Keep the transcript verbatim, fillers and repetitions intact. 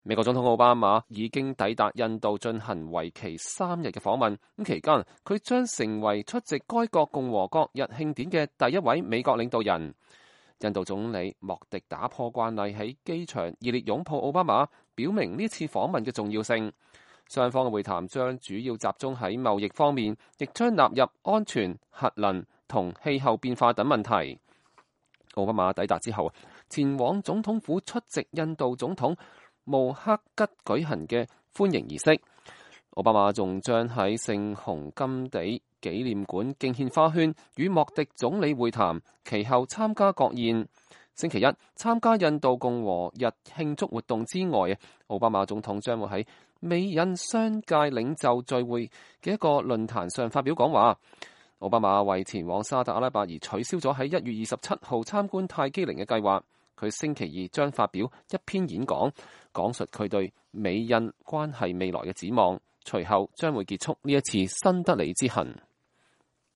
美國總統奧巴馬已經抵達印度進行為期三日嘅訪問，咁期間佢將成為出席該國共和國日慶典嘅第一位美國領導人。印度總理莫迪打破慣例喺機場熱烈擁抱奧巴馬，表明呢次訪問嘅重要性。雙方嘅會談將主要集中喺貿易方面，亦將納入安全、核能同氣候變化等問題。奧巴馬抵達之後，前往總統府出席印度總統穆克吉舉行嘅歡迎儀式。奧巴馬仲將喺聖雄甘地紀念館敬獻花圈，與莫迪總理會談，其後參加國宴。星期一參加印度共和日慶祝活動之外，奧巴馬總統將會喺美印商界領袖聚會嘅一個論壇上發表講話。奧巴馬為前往沙特阿拉伯而取消咗喺一月二十七號參觀泰姬陵嘅計劃。佢星期二將發表一篇演講，講述佢對美印關係未來嘅展望。隨後將會結束呢一次新德里之行。